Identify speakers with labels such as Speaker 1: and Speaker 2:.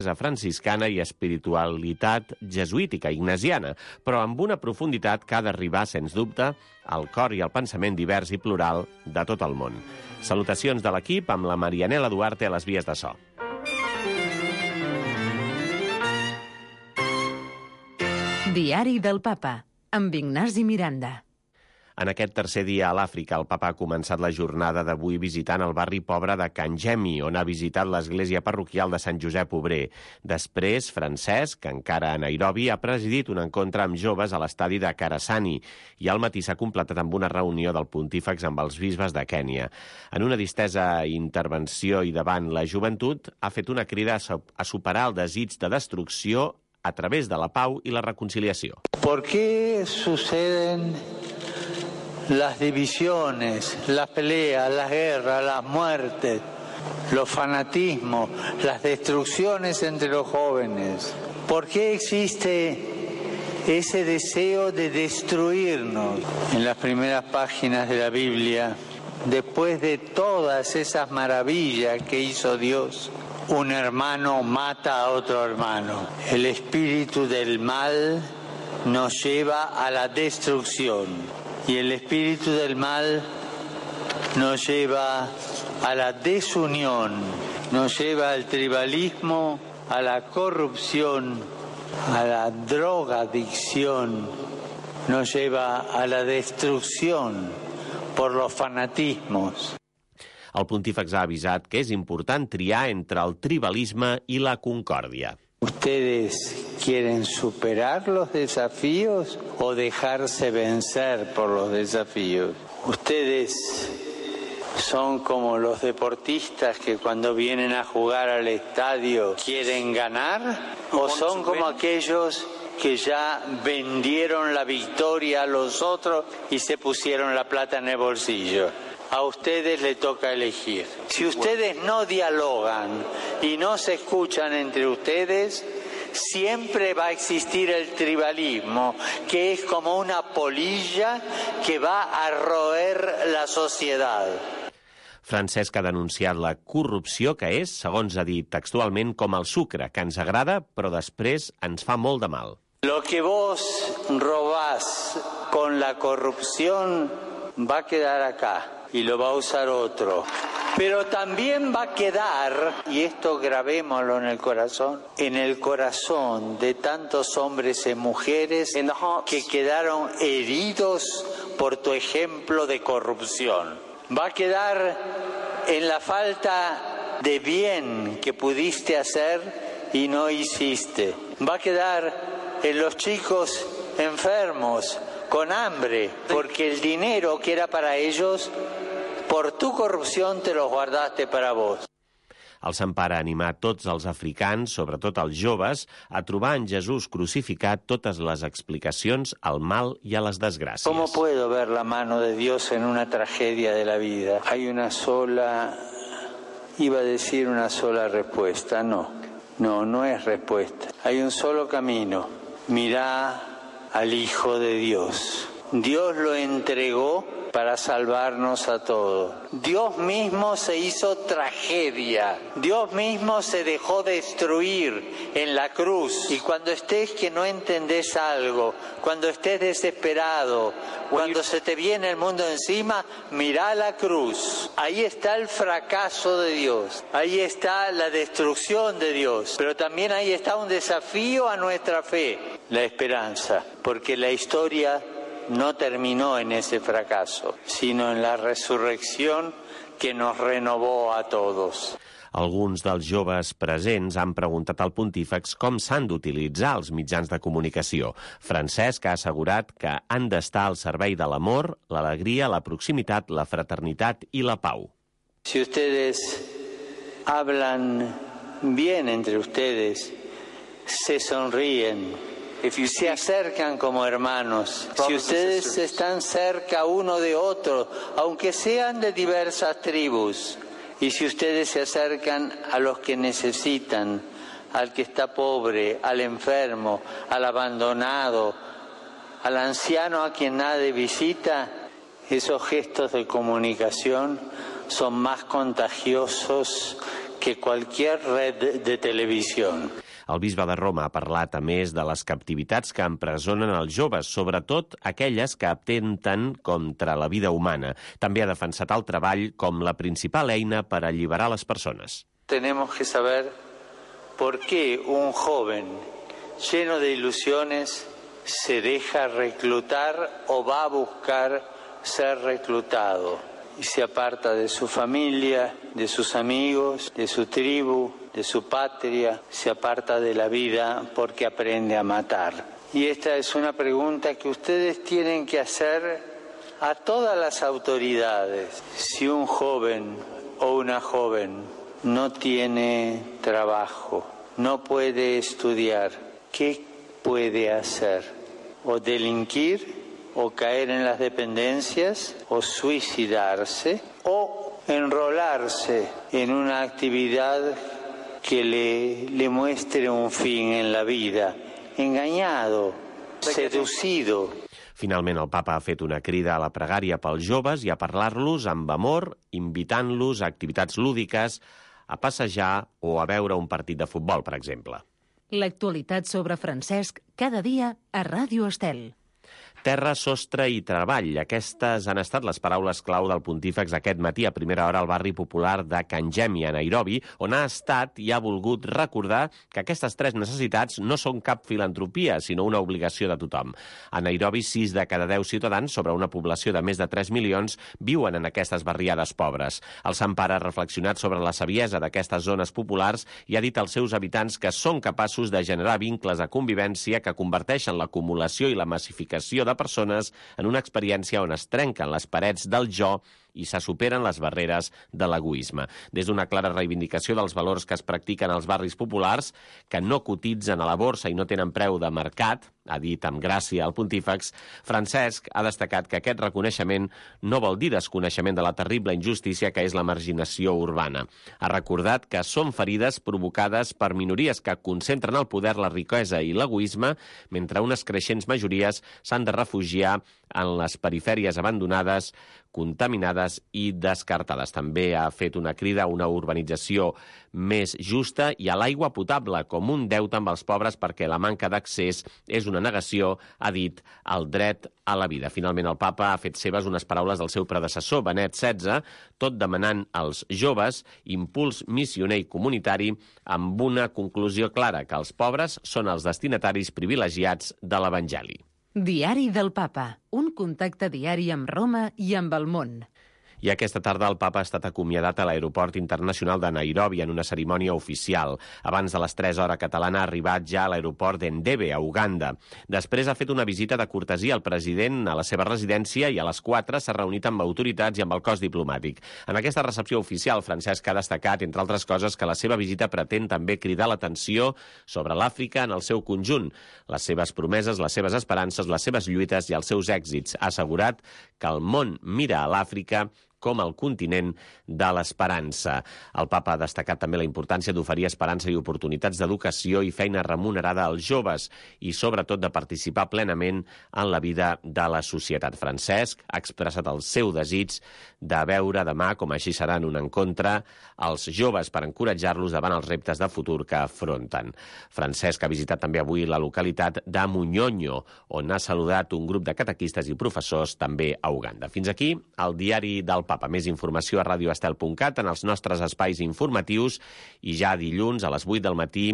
Speaker 1: franciscana i espiritualitat jesuítica ignasiana, però amb una profunditat que ha d'arribar, sens dubte, al cor i al pensament divers i plural de tot el món. Salutacions de l'equip amb la Marianela Duarte a les vies de so.
Speaker 2: Diari del Papa, amb Ignasi Miranda.
Speaker 1: En aquest tercer dia a l'Àfrica, el papa ha començat la jornada d'avui visitant el barri pobre de Kangemi, on ha visitat l'església parroquial de Sant Josep Obrer. Després, Francesc, encara a Nairobi, ha presidit un encontre amb joves a l'estadi de Karasani i al matí s'ha completat amb una reunió del pontífex amb els bisbes de Kènia. En una distesa intervenció i davant la joventut, ha fet una crida a superar el desig de destrucció a través de la pau i la reconciliació.
Speaker 3: ¿Por qué suceden las divisiones, las peleas, las guerras, las muertes, los fanatismos, las destrucciones entre los jóvenes? ¿Por qué existe ese deseo de destruirnos? En las primeras páginas de la Biblia, después de todas esas maravillas que hizo Dios, un hermano mata a otro hermano. El espíritu del mal nos lleva a la destrucción y el espíritu del mal nos lleva a la desunión, nos lleva al tribalismo, a la corrupción, a la drogadicción, nos lleva a la destrucción por los fanatismos.
Speaker 1: El pontífex ha avisat que és important triar entre el tribalisme i la concòrdia.
Speaker 3: ¿Ustedes quieren superar los desafíos o dejarse vencer por los desafíos? ¿Ustedes son como los deportistas que cuando vienen a jugar al estadio quieren ganar? ¿O son como aquellos que ya vendieron la victoria a los otros y se pusieron la plata en el bolsillo? A ustedes les toca elegir. Si ustedes no dialogan y no se escuchan entre ustedes, siempre va a existir el tribalismo, que es como una polilla que va a roer la sociedad.
Speaker 1: Francesc ha denunciat la corrupció que és, segons ha dit textualment, com el sucre, que ens agrada, però després ens fa molt de mal.
Speaker 3: Lo que vos robás con la corrupción va a quedar acá y lo va a usar otro. Pero también va a quedar, y esto grabémoslo en el corazón de tantos hombres y mujeres que quedaron heridos por tu ejemplo de corrupción. Va a quedar en la falta de bien que pudiste hacer y no hiciste. Va a quedar en los chicos enfermos, con hambre, porque el dinero que era para ellos, por tu corrupción te los guardaste para vos.
Speaker 1: El Sant Pare ha animat tots els africans, sobretot els joves, a trobar en Jesús crucificat totes les explicacions al mal i a les desgràcies.
Speaker 3: ¿Cómo puedo ver la mano de Dios en una tragedia de la vida? Hay una sola, iba a decir una sola respuesta, no es respuesta. Hay un solo camino, mirá al Hijo de Dios. Dios lo entregó para salvarnos a todos. Dios mismo se hizo tragedia. Dios mismo se dejó destruir en la cruz. Y cuando estés que no entendés algo, cuando estés desesperado, cuando se te viene el mundo encima, mirá la cruz. Ahí está el fracaso de Dios. Ahí está la destrucción de Dios. Pero también ahí está un desafío a nuestra fe, la esperanza. Porque la historia no terminó en ese fracaso, sino en la resurrección que nos renovó a todos.
Speaker 1: Alguns dels joves presents han preguntat al pontífex com s'han d'utilitzar els mitjans de comunicació. Francesc ha assegurat que han d'estar al servei de l'amor, l'alegria, la proximitat, la fraternitat i la pau.
Speaker 3: Si ustedes hablan bien entre ustedes, se sonríen, se acercan como hermanos, si ustedes están cerca uno de otro, aunque sean de diversas tribus, y si ustedes se acercan a los que necesitan, al que está pobre, al enfermo, al abandonado, al anciano a quien nadie visita, esos gestos de comunicación son más contagiosos que cualquier red de televisión.
Speaker 1: El bisbe de Roma ha parlat, a més, de les captivitats que empresonen els joves, sobretot aquelles que atenten contra la vida humana. També ha defensat el treball com la principal eina per alliberar les persones.
Speaker 3: Tenemos que saber por qué un joven lleno de ilusiones se deja reclutar o va a buscar ser reclutado y se aparta de su familia, de sus amigos, de su tribu, de su patria, se aparta de la vida porque aprende a matar. Y esta es una pregunta que ustedes tienen que hacer a todas las autoridades. Si un joven o una joven no tiene trabajo, no puede estudiar, ¿qué puede hacer? ¿O delinquir? ¿O caer en las dependencias? ¿O suicidarse? ¿O enrolarse en una actividad que le muestre un fin en la vida? Engañado, seducido.
Speaker 1: Finalment, el papa ha fet una crida a la pregària pels joves i a parlar-los amb amor, invitant-los a activitats lúdiques, a passejar o a veure un partit de futbol, per exemple.
Speaker 2: L'actualitat sobre Francesc cada dia a Ràdio Estel.
Speaker 1: Terra, sostre i treball. Aquestes han estat les paraules clau del pontífex aquest matí a primera hora al barri popular de Kangemi, a Nairobi, on ha estat i ha volgut recordar que aquestes tres necessitats no són cap filantropia, sinó una obligació de tothom. A Nairobi, 6 de cada 10 ciutadans, sobre una població de més de 3 milions, viuen en aquestes barriades pobres. El Sant Pare ha reflexionat sobre la saviesa d'aquestes zones populars i ha dit als seus habitants que són capaços de generar vincles de convivència que converteixen l'acumulació i la massificació de persones en una experiència on es trenquen les parets del jo i se superen les barreres de l'egoisme. Des d'una clara reivindicació dels valors que es practiquen als barris populars, que no cotitzen a la borsa i no tenen preu de mercat, ha dit amb gràcia el pontífex, Francesc ha destacat que aquest reconeixement no vol dir desconeixement de la terrible injustícia que és la marginació urbana. Ha recordat que són ferides provocades per minories que concentren el poder, la riquesa i l'egoisme, mentre unes creixents majories s'han de refugiar en les perifèries abandonades, contaminades i descartades. També ha fet una crida a una urbanització més justa i a l'aigua potable com un deute amb els pobres perquè la manca d'accés és una negació, ha dit, al dret a la vida. Finalment, el papa ha fet seves unes paraules del seu predecessor, Benet XVI, tot demanant als joves impuls missioner i comunitari amb una conclusió clara, que els pobres són els destinataris privilegiats de l'Evangeli.
Speaker 2: Diari del Papa, un contacte diari amb Roma i amb el món.
Speaker 1: I aquesta tarda el papa ha estat acomiadat a l'aeroport internacional de Nairobi en una cerimònia oficial. Abans de les 3 hores catalana ha arribat ja a l'aeroport d'Entebbe, a Uganda. Després ha fet una visita de cortesia al president a la seva residència i a les 4 s'ha reunit amb autoritats i amb el cos diplomàtic. En aquesta recepció oficial, Francesc ha destacat, entre altres coses, que la seva visita pretén també cridar l'atenció sobre l'Àfrica en el seu conjunt, les seves promeses, les seves esperances, les seves lluites i els seus èxits. Ha assegurat que el món mira a l'Àfrica com el continent de l'esperança. El papa ha destacat també la importància d'oferir esperança i oportunitats d'educació i feina remunerada als joves i, sobretot, de participar plenament en la vida de la societat. Francesc ha expressat el seu desig de veure demà, com així serà en un encontre, els joves per encoratjar-los davant els reptes de futur que afronten. Francesc ha visitat també avui la localitat de Munyonyo, on ha saludat un grup de catequistes i professors també a Uganda. Fins aquí el diari del Papa. Més informació a radioestel.cat en els nostres espais informatius i ja dilluns a les 8 del matí